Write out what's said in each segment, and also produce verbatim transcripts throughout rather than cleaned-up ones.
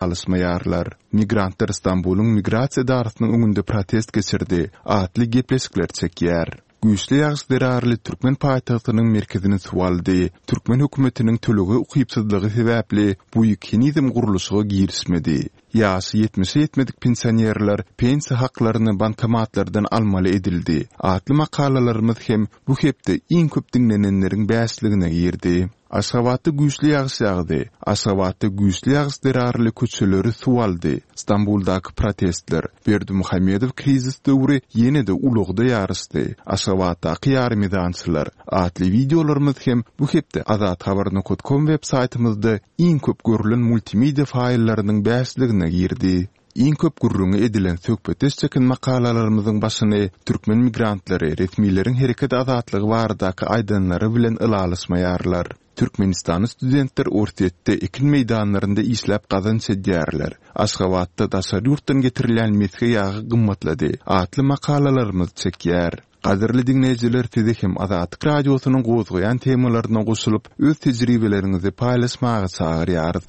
Alyşmaýarlar. Migrantlar Stambulyň migrasiýa edarasynyň öňünde protest geçirdi atly gepleşikler çekýär. Güýçli ýagyş zerarly türkmen paýtagtynyň merkezini suw aldy. Türkmen hökümetiniň tölege ukypsyzlygy sebäpli Buig henizem gurluşyga girişmedi. Ýaşy ýetmişe ýetmedik pensionerler pensiýa haklaryny bankomatlardan almaly edildi atly makalalarymyz hem bu hepde iň köp diňlenenleriň bäşligine girdi. Aşgabatda güýçli ýagyş ýagdy. Aşgabatda güýçli ýagyş zerarly köçeleri suw aldy. Stambuldaky protestler. Berdimuhamedow krizis döwri ýene-de ulagda ýaryşdy. Aşgabatdaky ýarymezançylar atly wideolarymyz hem bu hepde azathabar nokat kom web saýtymyzda iň köp görlen multimedia faýllarynyň bäşligine girdi. Iň köp gürrüňi edilen söhbetdeş çeken makalalarymyzyň başyny türkmen migrantlary resmileriň hereket azatlygy baradaky aýdanlary bilen ylalaşmaýarlar. Türkmenistanly studentler Orsýetde ekin meýdanlarynda işläp gazanç edýärler. Aşgabatda daşary ýurtdan getirilýän mesge ýagy gymmatlady atly makalalarymyz çekýär. Gadyrly diňleýjiler, sizi hem Azatlyk Radiosynyň gozgaýan temalaryna goşulyp, öz tejribeleriňizi paýlaşmaga çagyrýarys.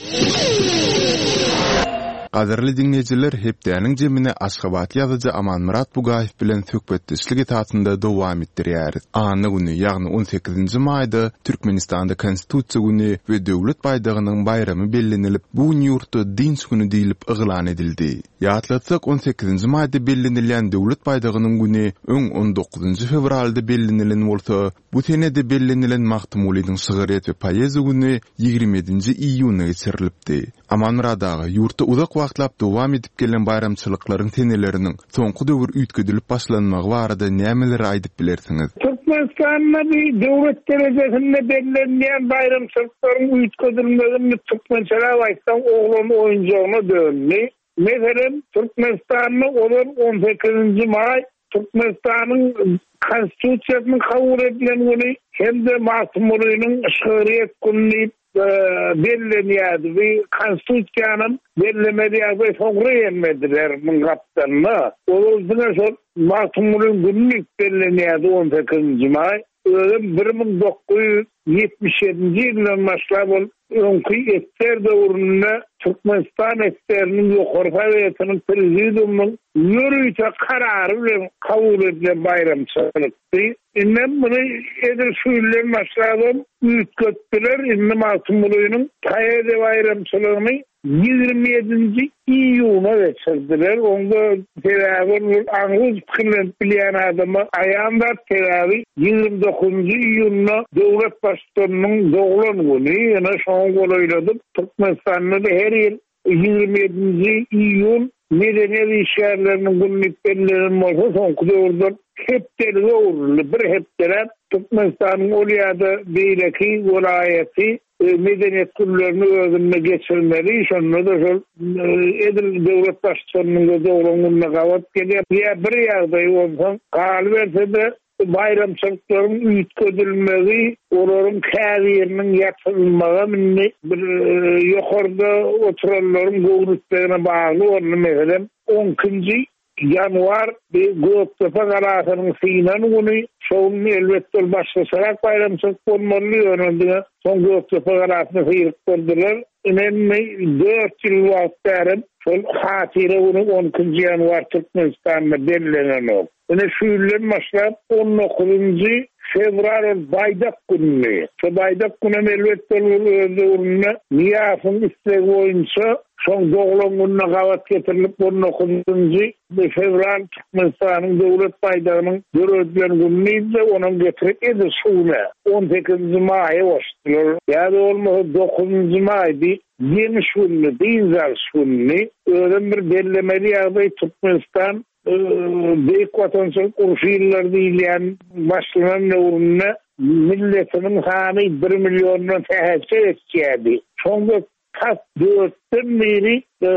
Gadyrly diňleýjiler, hepdäniň jemini aşgabatly ýazyjy Amanmyrat Bugaýew bilen söhbetdeşlik esasynda dowam etdirýäris. Anna güni, ýagny on sekizinji maýda Türkmenistanda Konstitusiýa güni we Döwlet baýdagynyň baýramy bellenilip, bu gün ýurtda dynç güni diýlip yglan edildi. Ýatlatsak, on sekizinji maýda bellenilýän Döwlet baýdagynyň güni öň on dokuzynjy fewralda bellenilen bolsa, bu senede bellenilen Magtymgulynyň şygryýet we poeziýa güni ýigrimi ýedinji iýunda geçirilipdi. Amanmyrat aga, ýurtda uzak wagtlap dowam edip gelen baýramçylyklaryň seneleriniň soňky döwür üýtgedilip başlanmagy barada nämeleri aýdyp bilersiňiz? Türkmenistanda bir döwlet derejesinde bellenýän baýramçylyklaryň üýtgedilmegini türkmençeläp aýtsaň oglan oýunjagyna döndü. Meselem, Türkmenistanda ozal on sekizinji maý Türkmenistanyň Konstitusiýasynyň kabul edilen güni hem-de Magtymgulynyň şygryýet güni diýip, e, bellenýärdi. Bu Konstitusiýanyň bellemeli ýagdaý soňra gelmediler muň gapdalynda. Ozal diňe şol Magtymgulynyň güni diýip bellenýärdi on sekizinji maý. Özem bir müň dokuz ýüz ýetmiş ýedinji ýyldan başlap ol öňki esser döwründe Türkmenistan esseriniň ýokary sowetiniň prezidiumynyň ýörite karary bilen kabul edilen baýramçylykdy. Indem muny edil şu ýyldan başlap üýtgetdiler. Indi Magtymgulynyň poeziýa baýramçylygyny ýigrimi ýedinji iýuna geçirdiler. Onda sebäbi ol aňryz pikirlenip bilýän adama aýan zat, sebäbi ýigrimi dokuzynjy iýunda döwlet baştutanynyň doglan güni, ýene şoňa golaýladyp Türkmenistanda da her ýyl ýigrimi ýedinji iýun medeniýet işgärleriniň günü diýip bellenen bolsa, soňky döwürde hepdelige öwrüldi. Bir hepdeläp Türkmenistanyň ol ýa-da beýleki welaýaty, e, medeniýet günlerini özünde geçirmeli. Şonda da şol, e, edil döwlet baştutanynyň doglan gününe gabat gelýär. Ýa bir ýagdaý bolsa, galyberse-de baýramçylyklaryň üýtgedilmegi, olaryň käbiriniň ýatyrylmagy indi bir, e, ýokarda oturanlaryň göwnütlegine bagly boldy. Meselem, on ikinji ýanwar bir Gökdepe galasynyň synan güni, şo gün elbetde ol başgaçarak baýramçylyk bolmaly, ýöne diňe soň Gökdepe galasyny syryp durdular. Indi dört ýyl wagt bäri şol hatyra güni on ikinji ýanwar Türkmenistanda bellenenok. Ine şu ýyldan başlap on dokuzynjy fewral ol baýdak günü. Şo baýdak günü elbetde ol öz döwründe Nyýazowyň islegi boýunça şoň doglan gününe gabat getirilip on dokuzynjy fewral Türkmenistanyň döwlet baýdagynyň döredilen günü diýdi, onuň getirip edil şu güne on sekizinji maýa goşdular. Ýa-da bolmasa dokuzynjy maý diýip ýeňiş günü, dynç alyş günü. Özem bir bellemeli ýagdaý Türkmenistan, e, Beýik Watançylyk urşy ýyllary diýilýän başlanan döwründe milletiniň sany bir milliondan sähelçe geçýärdi. Soňra tas dörtden biri, e,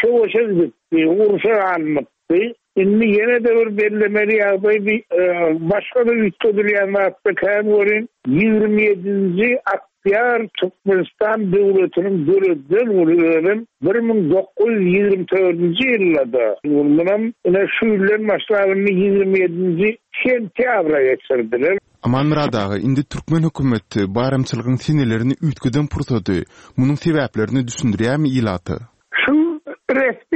söweşe gidipdi, urşa alnypdy. Indi ýene de bir bellemeli ýagdaý bir, e, başga da üýtgedilýän zatda kän görün, ýigrimi ýedinji oktýabr Türkmenistan döwletiniň döredilen güni özem bir müň dokuz ýüz ýigrimi dördünji ýylda. Munam ine şu ýyldan başlap indi ýigrimi ýedinji sentýabra geçirdiler. Amanmyrat aga, indi türkmen hökümeti baýramçylygyň senelerini üýtgeden pursady, munuň sebäplerini düşündirýärmi ilata?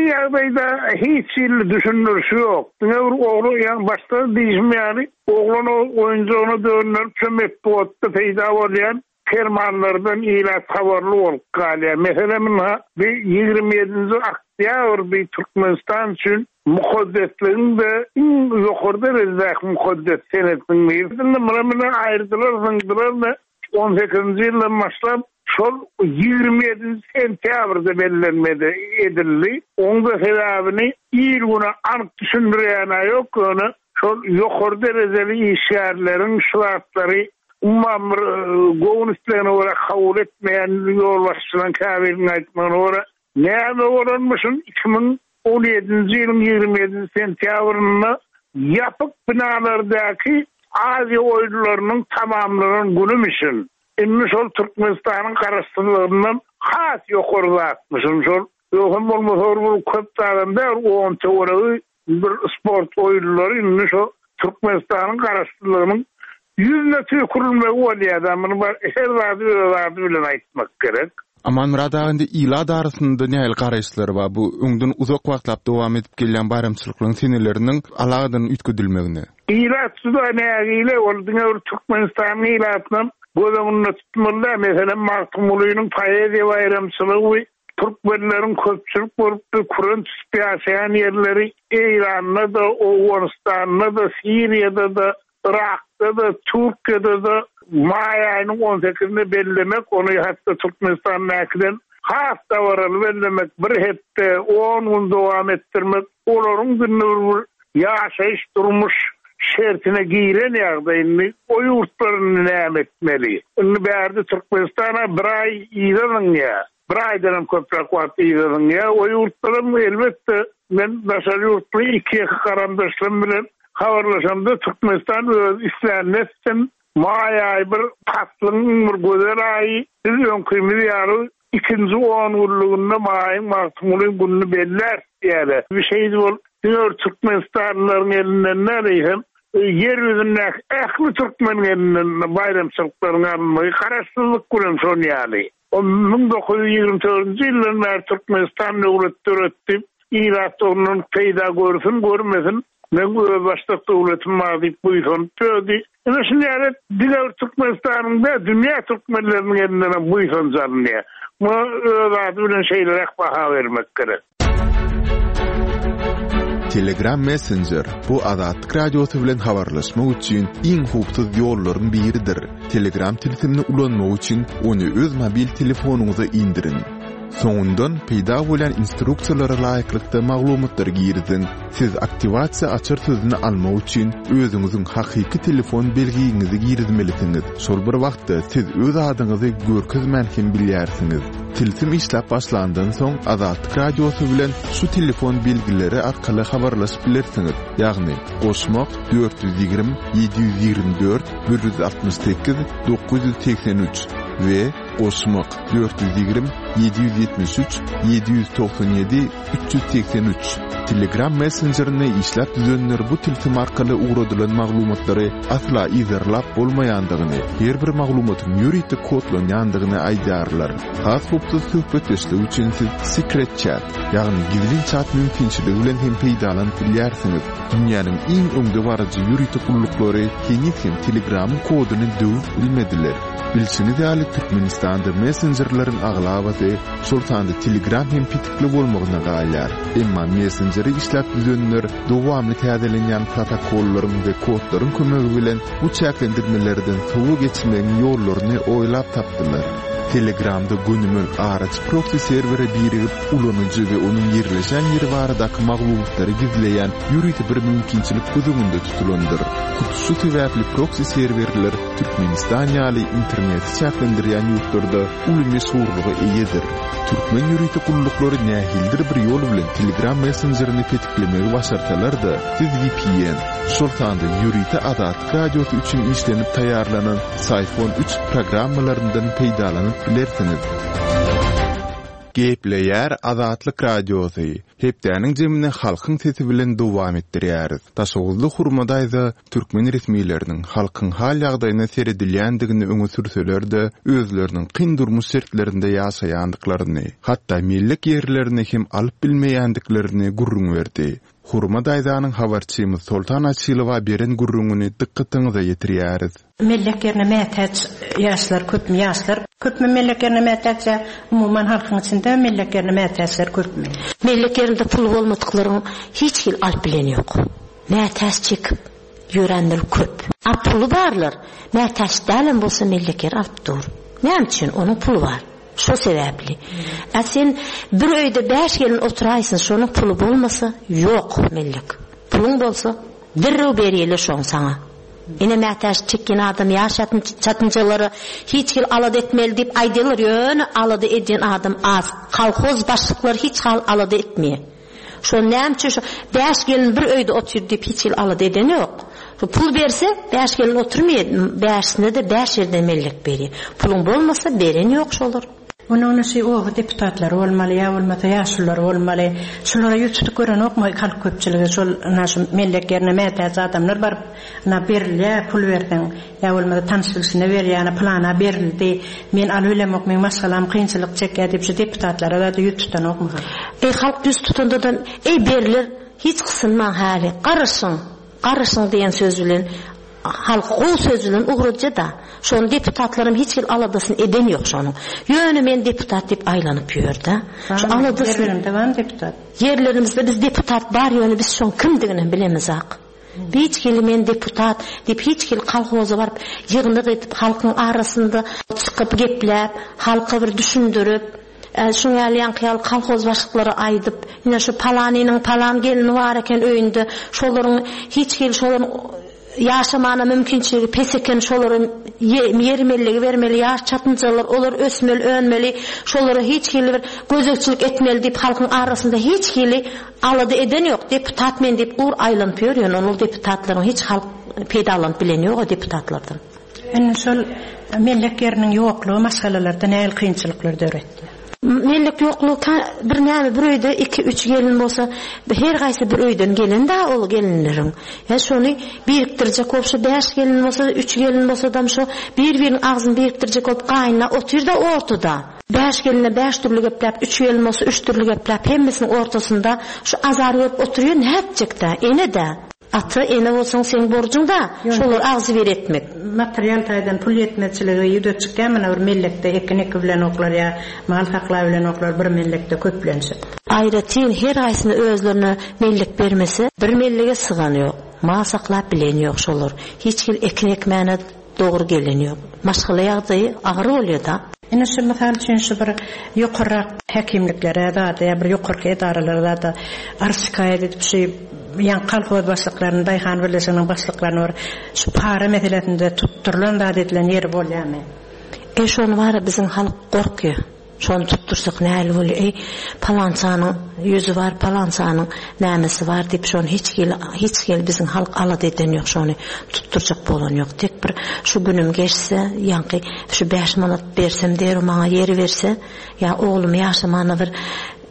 Ýagdaýda hiç hili düşündirişi ýok. Diňe bir oglan, ýagny başda diýişim ýaly, oglan oýunjagyna dönderip şu metbugatda peýda bolýan fermanlardan ilat habarly bolup galýar. Meselem, ynha, bir ýigrimi ýedinji oktýabr bir Türkmenistan üçin mukaddesligiň-de iň ýokary derejedäki mukaddes senesiniň biri. Indi muny muny aýyrdylar, zyňdylar-da on sekizinji ýyldan başlap şol ýigrimi ýedinji sentýabrda bellenmedi edildi. Onuň da sebäbini il güne anyk düşündirýän ýok, ýöne şol ýokary derejeli işgärleriň şu zatlary umuman bir, e, göwün islegine görä kabul etmeýän ýolbaşçylaryň käbiriniň aýtmagyna görä näme bolanmyşyn iki müň on ýedinji ýylyň ýigrimi ýedinji sentýabrynda ýapyk binalardaky Aziýa oýunlarynyň tamamlanan günümişin. Indi şol Türkmenistanyň garaşsyzlygyndan has ýokary zatmyşyn şol. Ýogsam bolmasa bir köp adam däl, on töweregi bir sport oýunlary indi şo Türkmenistanyň garaşsyzlygynyň ýüzüne tüýkürilmegi bolýar. Muny bar, her zady öz ady bilen aýtmak gerek. Amanmyrat aga, indi ilat arasynda nähili garaýyşlar bar? Bu öňden uzak wagtlap dowam edip gelýän baýramçylyklaryň seneleriniň alagadan üýtgedilmegine. Ilat juda nägile, ol diňe bir Türkmenistanyň ilatynam göz öňünde tutmaly däl. Meselem, Magtymgulynyň poeziýa baýramçylygy türkmenleriň köpçülik bolup bir küren tutup ýaşaýan ýerleri Eýranda-da, Owganystanda-da, Siriýada-da, Irakda-da, Türkiýede-de maý aýynyň on sekizinde bellemek, ony hatda Türkmenistandakydan has dabaraly bellemek, bir hepde on gün dowam etdirmek, olaryň günü bir ýaşaýyş durmuş şertine giren ýagdaýyny o ýurtlaryny näme etmeli? Indi bärde Türkmenistana bir aý yzadyň ýa. Bir aýdan hem köpräk wagt yzadyň ýa. O ýurtlaram elbetde men daşary ýurtly iki ýeke garamdaşlarym bilen habarlaşamda Türkmenistan öz islänini etsin. Maý aýy bir paslyň bir gözel aýy. Biz öňkimiz ýaly ikinji on günlüginde maýyň Magtymgulyň gününi belläris diýýärler. Bir şey bol, diňe bir Türkmenistanlylaryň elinden däl, eýsem ýer ýüzündäki ähli türkmeniň elinden baýramçylyklaryň alynmagy garaşsyzlyk bilen şon ýaly. O müň dokuz ýüz ýigrimi dördünji ýyldan bäri Türkmenistan döwlet döretdi. Ilat ondan peýda görsün, görmesin. Men öz başdak döwletim bar diýip buýsanyp dödi. Ine şuny ýaly diňe bir Türkmenistanyň da dünýä türkmenleriniň elinden hem buýsanç alynýar. Muňa öz ady bilen şeýleräk baha bermek gerek. Telegram Messenger bu Azatlyk Radiosy bilen habarlaşmak üçin iň howpsuz ýollaryň biridir. Telegram tilsimini ulanmak üçin ony öz mobil telefonyňyza indiriň. Soňundan peýda bolan instruksiýalara laýyklykda maglumatlary giriziň. Siz aktiwasiýa açar sözüni almak üçin özüňiziň hakyky telefon belgiňizi girizmelisiňiz. Şol bir wagtda siz öz adyňyzy görkezmän hem bilýärsiňiz. Tilsim işläp başlandan soň Azatlyk Radiosy bilen şu telefon belgileri arkaly habarlaşyp bilersiňiz. Ýagny goşmak dört ýüz ýigrimi, ýedi ýüz ýigrimi dört, bir ýüz altmyş sekiz, dokuz ýüz segsen üç we goşmak dört ýüz ýigrimi, ýedi ýüz ýetmiş üç, ýedi ýüz togsan ýedi, üç ýüz segsen üç. Telegram Messengerini işläp düzenler bu tilsim arkaly ugradylan maglumatlary asla yzarlap bolmaýandygyny, her bir maglumatyň ýörite kodlanýandygyny aýdýarlar. Has howpsuz söhbetdeşlik üçin siz Secret Chat, ýagny gizlin chat mümkinçiligi bilen hem peýdalanyp bilýärsiňiz. Dünýäniň iň öňdebaryjy ýörite gulluklary heniz hem Telegramyň koduny döwüp bilmediler. Bilşiňiz ýaly Türkmenistanda messenjerleriň aglabasy, şol sanda Telegram hem petikli bolmagyna galýar. Emma messengeri işläp düzenler dowamly täzelenýän protokollaryň we kodlaryň kömegi bilen bu çäklendirmelerden sowa geçmegiň ýollaryny oýlap tapdylar. Telegramda gönümel araç proxy serwere birigip, ulanyjy we onuň ýerleşen ýeri baradaky maglumatlary gizleýän ýörite bir mümkinçilik göz öňünde tutulandyr. Hut şu sebäpli proxy serwerler Türkmenistan ýaly interneti çäklendirýän ýurtlarda uly meşhurlyga eýedir. Türkmen ýörite gulluklary nähilidir bir ýol bilen Telegram messenjerini petiklemegi başarsalar-da, siz V P N, şol sanda ýörite Azatlyk Radiosy üçin işlenip taýýarlanan Syphon üç programmalaryndan peýdalanyp bilersiňiz. Gepleýär Azatlyk Radiosy. Hepdäniň jemini halkyň sesi bilen dowam etdirýäris. Daşoguzly Hurma daýza türkmen resmileriniň halkyň hal-ýagdaýyna seredilýändigini öňe sürseler-de, özleriniň kyn durmuş şertlerinde ýaşaýandyklaryny, hatda mellek ýerlerini hem alyp bilmeýändiklerini gürrüň berdi. Hurma daýzanyň habarçymyz Soltan Açylowa beren gürrüňini dykgatyňyza ýetirýäris. Mellek ýerine mätäç ýaşlar köpmi ýaşlar köpmi mellek ýerine mätäç ýa umuman halkyň içinde mellek ýerine mätäçler köpmi? Mellek ýerinde puly bolmadyklaryň hiç hili alyp bileni ýok. Mätäç çekip ýörenler köp. A puly barlar mätäç dälem bolsa mellek ýer alyp dur. Näme üçin? Onuň puly bar. Şo sebäpli. A sen bir öýde bäş gelin oturaýsyn, şonuň puly bolmasa ýok mellek. Puluň bolsa derrew berýärler şoň saňa. Ine mätäç çekýän adam ýaş çatynjalara hiç hil alada etmeli diýip aýdýarlar, ýöne alada edýän adam az. Kolhoz başlyklary hiç hal alada etmeýär. Şo näme üçin şo bäş gelin bir öýde otyr diýip hiç hil alada eden ýok. Şo pul berse bäş gelin oturmaýar, bäşisine-de bäş ýerden mellek berýär. Puluň bolmasa beren ýok şolar. Onuň şu oba deputatlary bolmaly ýa bolmasa ýaşulular bolmaly. Şulara ýüz tutup görenokmy halk köpçüligi şol ina şu mellek ýerine mätäç adamlar baryp ina berilýär pul berseň ýa bolmasa tanyş bilşine berýär, ina plana berildi. Men alyp bilemok, meň maşgalam kynçylyk çekýär diýip şu deputatlara da ýüz tutanokmy halk? Eý halk ýüz tutanda-da eý beriler hiç gysynmaň häli. Garaşyň, garaşyň diýen söz bilen halk gowy söz bilen ugradja da. Şonuň deputatlarym hiç hil aladasyny eden ýok şonuň. Ýöne men deputat diýip aýlanyp ýör-de. Şu aladasyny Ýerlerimizde barmy deputat? Ýerlerimizde biz deputat bar, ýöne biz şoň kimdigini bilemizak. Hiç hili men deputat diýip hiç hili kolhoza baryp ýygnak edip halkyň arasynda çykyp gepläp, halka bir düşündirip, şuň ýaly ýaňky ýaly kolhoz başlyklary aýdyp, ine şu palanynyň palan gelini bar eken öýünde, şolaryň hiç hili şolaryň ýaşamana mümkinçiligi pes eken şolara ýer mellegi bermeli, ýaş çatynjalar olar ösmeli, önmeli, şolara hiç hili bir gözegçilik etmeli diýip halkyň arasynda hiç hili alada eden ýok. Deputat men diýip gur aýlanyp ýör, ýöne ol deputatlaryň hiç halk peýdalanyp bilen ýok o deputatlardan. Indi şol mellek ýeriniň ýoklugy maşgalalarda nähili kynçylyklar döretdi? Mellek ýoklugy bir näme bir öýde iki üç gelin bolsa her gaýsy bir öýden gelen da ol gelinleriň. Ýa şony birikdirjek bolup şu bäş gelin bolsa, üç gelin bolsa da şo bir-biriniň agzyny birikdirjek bolup gaýynla otyr da ortada. Bäş geline bäş dürli gepläp, üç gelin bolsa üç dürli gepläp, hemmesiniň ortasynda şu azar görüp oturýar, nätjek-dä, ene-dä. Ata, ene bolsaň seň borjuň da, şolar agzy bir etmek. Material taýdan pul ýetmezçiligi ýüze çykýar, mana bir mellekde ekin eki bilen oklar ýa mal saklap bilen oklar bir mellekde köplenişip. Aýratyn her gaýsyny özlerine mellek bermese, bir mellege sygan ýok. Mal saklap bilen ýok şolar. Hiç hil ekin ekmäne dogry gelen ýok. Maşgala ýagdaýy agyr bolýar da. Ine şu mysal üçin şu bir ýokarrak häkimliklere zada ýa bir ýokarky edaralara zada arz şikaýat edip şu ýaň kolhoz başlyklaryny, daýhan birleşiginiň başlyklaryny bir şu para meselesinde tutdurylan zat edilen ýeri bolýarmy? E şony bara biziň halk gorkýar. Şony tutdursak näli bolýar? Ey palançanyň ýüzi bar, palançanyň nämesi bar diýip şony hiç hili hiç hili biziň halk alada eden ýok, şony tutdurjak bolan ýok. Tek bir şu günüm geçse, ýaňky şu bäş manat bersem der maňa ýeri berse, ýa oglum ýaşamana bir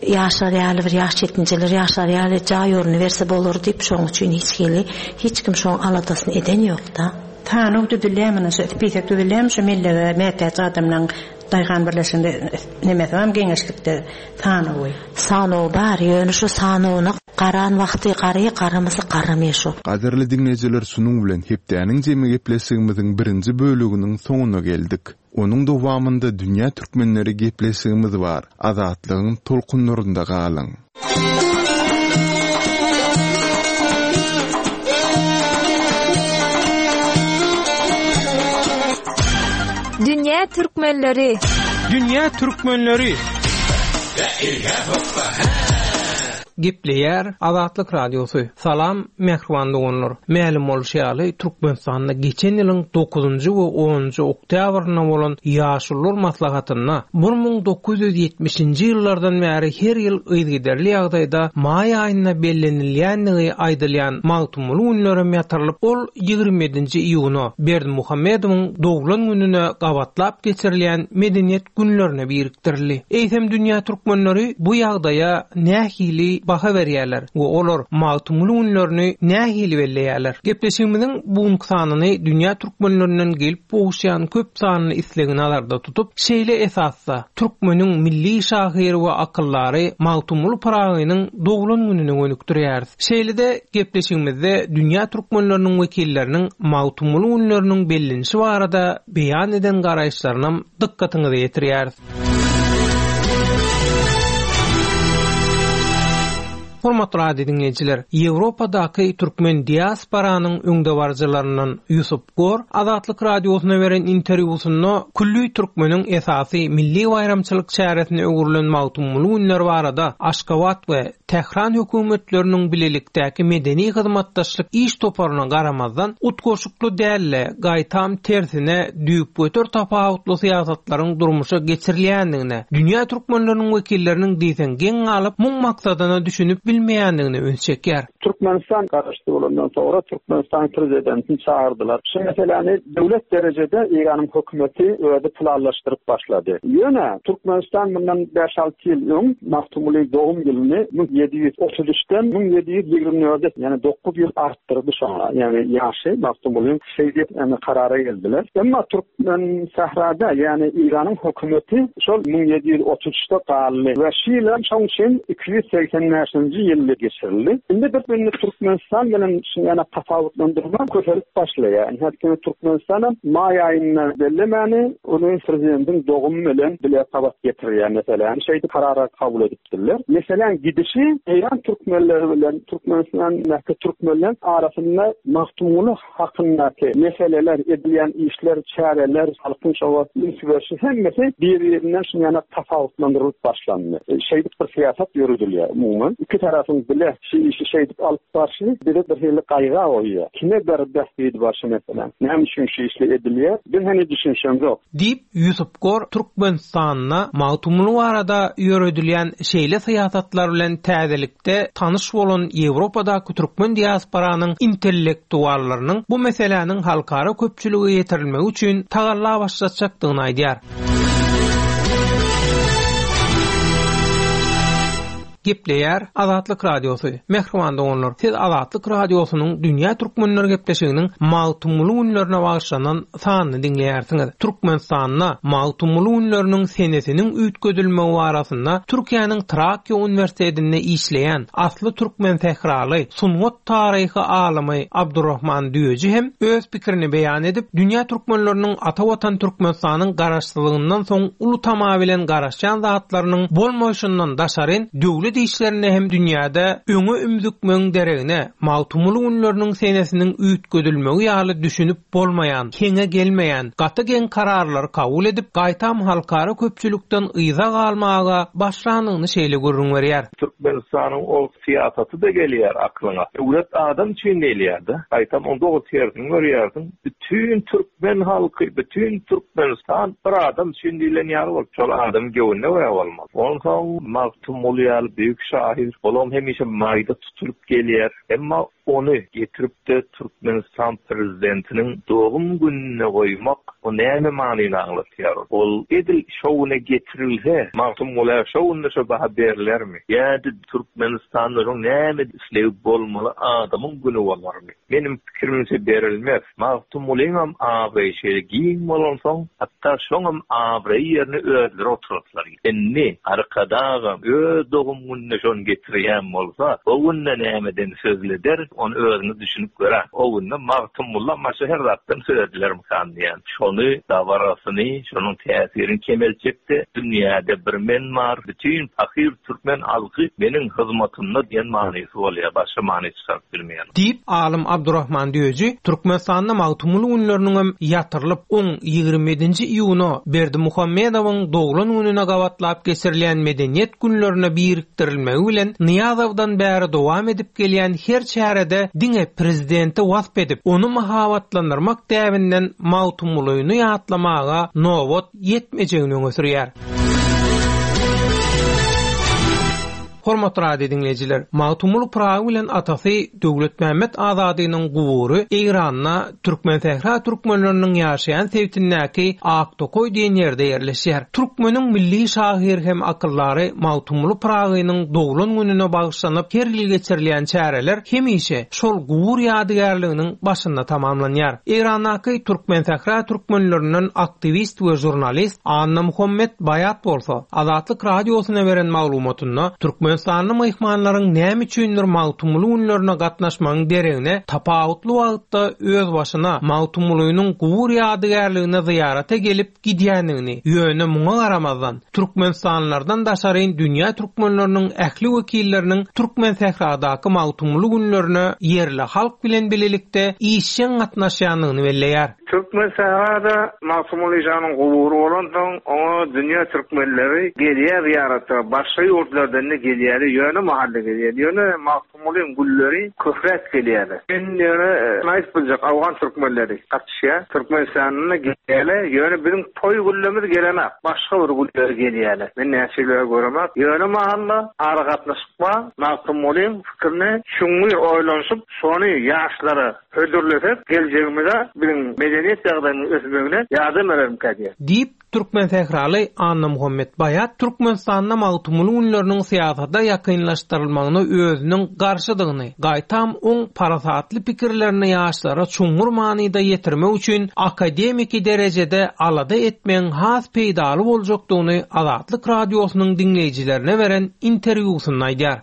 ýaşar ýaly bir ýaş ýetginjeler ýaşar ýaly jaý orny berse bolar diýip şoň üçin hiç hili hiç kim şoň aladasyny eden ýok da. Sanaw düzülýärmi, şu spisak düzülýärmi şu mellege mätäç adamlaryň daýhan birleşiginde nemesi barmy geňeşlikde sanawy? Sanaw bar, ýöne şu sanawyna garan wagty gary garamasa garamaýar şu. Gadyrly diňleýjiler, şunuň bilen hepdäniň jemi gepleşigimiziň birinji bölüminiň soňuna geldik. Onuň dowamynda dünýä türkmenleri gepleşigimiz bar. Azatlygyň tolkunlarynda galyň. Dünýä türkmenleri. Dünýä türkmenleri. Gepleýär Azatlyk Radiosy. Salam mähriban doganlar. Mälim bolşy ýaly Türkmenistanda geçen ýylyň dokuzynjy we onunjy oktýabrynda bolan Ýaşulular maslahatynda bir müň dokuz ýüz ýetmişinji ýyllardan bäri her ýyl yzygiderli ýagdaýda maý aýynda bellenilýändigi aýdylýan Magtymguly günlerem ýatyrylyp, ol ýigrimi ýedinji iýuna Berdimuhamedowyň doglan gününe gabatlap geçirilýän medeniýet günlerine birikdirildi. Eýsem dünýä türkmenleri bu ýagdaýa nähili baha berýärler we olar Magtymguly günlerini nähili belleýärler? Gepleşigimiziň bu sanyny dünýä türkmenlerinden gelip gowuşýan köp sanly islegini nazarda tutup, şeýle esasda türkmeniň milli şahyry we akyldary Magtymguly Pyragynyň doglan gününe gönükdirýäris. Şeýle-de gepleşigimizde dünýä türkmenleriniň wekilleriniň Magtymguly günleriniň bellenişi barada beýan eden garaýyşlaryny dykgatyňyza ýetirýäris. Hormatly radio dinleýjiler, Ýewropadaky türkmen diasporanyň öňdebaryjylaryndan Ýusup Gor Azatlyk radiosyna beren interwýusynda külli türkmeniň esasy milli baýramçylyk çäresine öwrülen Magtymguly günleri barada Aşgabat we Tähran hökümetleriniň bilelikdäki medeni hyzmatdaşlyk iş toparyna garamazdan utgaşykly dälle, gaýtam tersine düýpgöter tapawutly syýasatlaryň durmuşa geçirilýändigine, dünýä türkmenleriniň wekilleriniň diýseň geň galyp, muň maksadyna düşünip bilmeýändigine üns çekýär. Türkmenistan garaşsyz bolandan soňra Türkmenistan prezidentini çağırdylar. Şu meseläni döwlet derejede Eýranyň hökümeti özi planlaşdyryp başlady. Ýöne Türkmenistan bundan bäş alty ýyl öň Magtymguly dogum ýylyny müň ýedi ýüz otuz üçden müň ýedi ýüz ýigrimi dörde, ýani dokuz ýyl artdyrdy şoňa. Ýani ýaşy Magtymgulyň şeýdip, ýani karara geldiler. Emma Türkmen sährada, ýani Eýranyň hökümeti şol müň ýedi ýüz otuz üçde galdy we şu ýyl hem şoň üçin iki ýüz segsen bäşinji ýylda geçirildi. Indi bir indi Türkmenistan bilen şuny ýana tapawutlandyrma köpelip başlaýar. Indi häzir Türkmenistan hem maý aýynda bellemäni ony prezidentiň dogumy bilen bile gabat getirýär meselem. Şeýdip karara kabul edipdirler. Meselem gidişi Eýran türkmenleri bilen Türkmenistandaky türkmenler arasynda Magtymguly hakyndaky meseleler, edilýän işler, çäreler, halkyň şowa üns berişi hemmesi bir-birinden şuny ýana tapawutlandyrylyp başlandy. E, şeýdip bir syýasat ýöredilýär umuman. Iki tarapyň bile şu işi şeýdip alyp barşy biri bir hili gaýga goýýar. Kime bir bähbidi bar şu meselem? Näme üçin şu işle edilýär? Biz heni düşünşemzok. Diýip Ýusup Gor Türkmenistanda Magtymguly barada ýöredilýän şeýle syýasatlar bilen täzelikde tanyş bolan Ýewropadaky türkmen diasporanyň intellektuallarynyň bu meseläniň halkara köpçülige ýetirilmegi üçin tagalla başlatjakdygyny aýdýar. Gepleýär Azatlyk Radiosy. Mähriban doganlar, siz Azatlyk Radiosynyň Dünýä Türkmenleri gepleşiginiň Magtymguly günlerine bagyşlanan sanyny diňleýärsiňiz. Türkmenistanda Magtymguly günleriniň senesiniň üýtgedilmegi barasynda Türkiýäniň Trakya Uniwersitetinde işleýän asly türkmen sähraly sungat taryhy alymy Abdurrahman Düýeji hem öz pikirini beýan edip, dünýä türkmenleriniň ata watan Türkmenistanyň garaşsyzlygyndan soň uly tama bilen garaşýan zatlarynyň bolmaýşyndan daşaryn döwlet işlerinde hem dünýäde öňe ümzükmegiň deregine Magtymguly günleriniň senesiniň üýtgedilmegi ýaly düşünip bolmaýan, heňe gelmeýän, gaty geň kararlary kabul edip, gaýtam halkara köpçülikden yza galmaga başlandygyny şeýle gürrüň berýär. Türkmenistanyň ol syýasaty da gelýär aklyňa. Döwlet adam üçin diýilýär-de. Gaýtam onda o tersini görýärsiň. Bütün türkmen halky, bütün Türkmenistan bir adam üçin diýilen ýaly bolup, şol adam göwnüne görä bolmaly. Onsoň Magtymguly ýaly büyük şahyr, olam hemişe maýda tutulyp gelýär. Emma ony getirip de Türkmenistan prezidentiniň dogum gününe goýmak o näme manyny aňlatýar? Ol edil şowuna getirilse, Magtymguly şowunda şo baha berilermi? Ýa-da Türkmenistanda näme islegi bolmaly adamyň günü bolarmy? Benim pikirimçe berilmez. Magtymgulyňam abraýy şeýle giň bolansoň, hatda şoňam abraýy ýerine özleri oturatlar. Indi arkadagam öz dogum gününe şony getirýän bolsa, o günde nämeden sözleder, ony özüni düşünip görer. O günde Magtymguly maşa her zatdan söz edilermikan diýen. Şony dabarasyny, şonuň täsirini kemeltjekde dünýäde bir men bar, bütün fakir türkmen halky meniň hyzmatymda diýen manysy bolýar, başga many çykaryp bilmeýän. Diýip alym Abdurrahman Düýeji Türkmenistanda Magtymguly günleriniň hem ýatyrylyp on ýigrimi ýedinji iýuna Berdimuhamedowyň doglan gününe gabatlap geçirilýän medeniýet günlerine birikdirilmegi gijikdirilmegi bilen Nyýazowdan bäri dowam edip gelýän her çärede diňe prezidenti wasp edip, ony mahabatlandyrmak däbinden Magtymgulyny ýatlamaga nobat ýetmejegini öňe sürýär. Hormatly radio diňleýjiler, Magtymguly Pyragy bilen atasy Döwletmämmet Azadynyň gubury Eýranda Türkmensähra türkmenleriniň ýaşaýan sebitindäki Aktokoý diýen ýerde ýerleşýär. Türkmeniň milli şahyr hem akyldary Magtymguly Pyragynyň doglan gününe bagyşlanyp her ýyl geçirilýän çäreler hemişe şol gubur ýadygärliginiň başynda tamamlanýar. Eýrandaky Türkmensähra türkmenlerinden aktiwist we žurnalist Annamuhammet Baýat bolsa Azatlyk radiosyna beren maglumatynda Türkmen Türkmenistanly myhmanlaryň näme üçindir Magtymguly günlerine gatnaşmagyň deregine tapawutly wagtda öz başyna Magtymgulynyň gubur ýadygärligine zyýarata gelip gidýändigini, ýöne muňa garamazdan Türkmenistanlylardan daşaryn dünýä türkmenleriniň ähli wekilleriniň Türkmensähradaky Magtymguly günlerine ýerli halk bilen bilelikde işjeň gatnaşýandygyny belleýär. Türkmensährada Magtymgulynyň gubury bolansoň, oňa dünýä türkmenleri gelýär zyýarata, başga ýurtlardan da gelýär, ýöne mahalle gelýär, ýöne Magtymgulyň gülleri köpräk gelýär. Men ýöne aýdyp biljek Awgan türkmenleri gatnaşýar. Türkmenistanda gelýär, ýöne biziň toý güllerimiz gelenak, başga bir gülleri gelýär. Men näçe göremek, ýöne mahalla ara gatnaşyk bar, Magtymgulyň fikirini çuňňur oýlanyşyp, şony ýaşlara hödürlesek, geljegimize biziň medeniýet ýagdaýynyň ösmegine ýardam berermikä diýär. Diýip Türkmensähraly Annamuhammet Baýat Türkmenistanda Magtymguly günleriniň syýasata ýakynlaşdyrylmagyna özüniň garşydygyny, gaýtam oň parasatly pikirlerini ýaşlara çuňňur manyda ýetirmek üçin akademiki derejede alada etmegiň has peýdaly boljakdygyny Azatlyk radiosynyň diňleýjilerine beren interwýusynda aýdýar.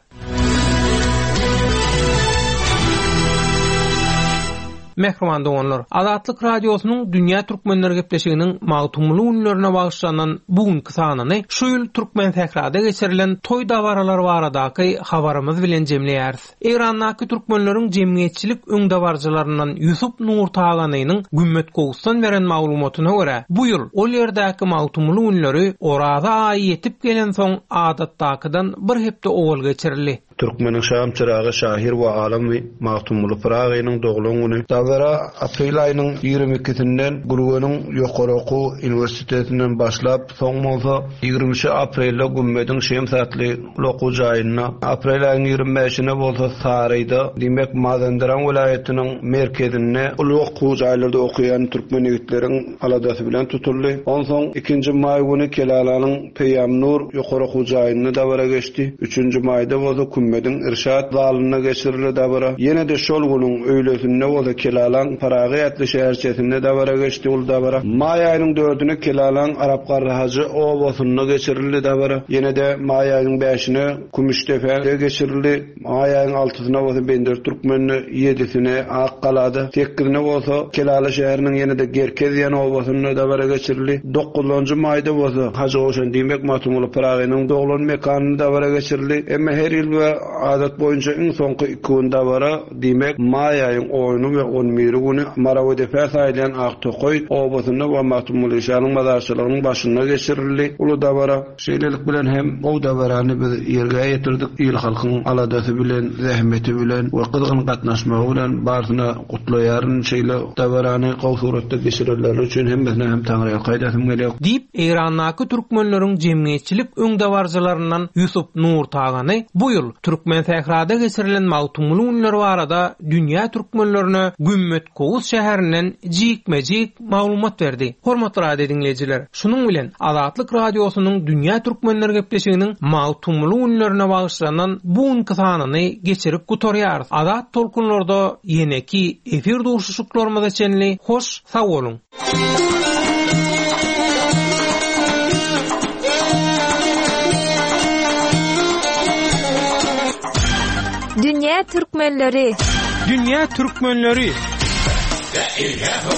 Mähriban doganlar, Azatlyk radiosynyň Dünýä Türkmenler gepleşiginiň Magtymguly günlerine bagyşlanan bugünki sanyny şu ýyl Türkmensährada geçirilen toý dabaralary baradaky habarymyz bilen jemleýäris. Eýrandaky türkmenleriň jemgyýetçilik öňdebaryjylaryndan Ýusup Nurtaganynyň Gümmet Gowusdan beren maglumatyna görä, bu ýyl ol ýerdäki Magtymguly günleri Oraza aýy ýetip gelensoň adatdakydan bir hepde owal geçirildi. Türkmeniň şam çyragy şahyr we alymy Magtymguly Pyragynyň doglan güni dabara aprel aýynyň ýigrimi ikisinden Gürgeniň Ýokary okuw uniwersitetinden başlap, soň bolsa ýigrimi üçi aprelde Gümmediň Şems atly okuw jaýynda, aprel aýynyň ýigrimi bäşine bolsa Saryda, diýmek Mazenderan welaýatynyň merkezinde uly okuw jaýlarda okaýan türkmen ýigitleriň aladasy bilen tutuldy. Onsoň ikinji maý güni Kelalanyň Peýamnur ýokary okuw jaýynda dabara geçdi. Üçünji maýda bolsa Kümmediň Irşat zalynda geçirildi dabara. Ýene de şol günüň öýlesinde bolsa Kelalan Paragy atly şäherçesinde dabara geçdi ul dabara. Maý aýynyň dördüne Kelalan Arapgarrahajy obasynda geçirildi dabara. Ýene de maý aýynyň bäşine Kümüşdepede geçirildi. Maý aýynyň altysyna bolsa Bender Türkmende, ýedisine Akgalada, sekizine bolsa Kelala şäheriniň ýene de Gerkez diýen obasynda dabara geçirildi. Dokuzunjy maýda bolsa Hajy Gowşan diýmek Magtymguly Pyragynyň doglan mekanynda dabara geçirildi. Emma her ýyl we adat boýunça iň soňky iki gün dabara diýmek maý aýyň ony we on biri güni Marawedepe saýlanan Aktokoý obasynda we Magtymguly şanyň mazarçylygynyň başynda geçirildi. Uly dabara şeýlelik bilen hem gowy dabarany biz ýerge ýetirdik. Il halkyň aladasy bilen, zähmeti bilen we gyzgyn gatnaşmagy bilen barsyna gutlaýaryn. Şeýle dabarany gowy suratda geçirenleri üçin hemmesine hem Taňryýa gaýdasym gelýär. Diýip, Eýrandaky türkmenleriň jemgyýetçilik öňdebaryjylaryndan Ýusup Nurtagany bu ýyl Türkmensährada geçirilen Magtymguly günleri barada dünýä türkmenlerine Gümmet Kowus şäherinden jikme-jik maglumat berdi. Hormatly radio diňleýjiler, şunuň bilen Azatlyk radiosynyň Dünýä Türkmenler gepleşiginiň Magtymguly günlerine bagyşlanan bu günki sanyny geçirip gutarýarys. Azat tolkunlarda ýeneki efir duşuşyklarymyza çenli hoş sag boluň. Dünýä Türkmenleri. Dünýä Türkmenleri. La ilaha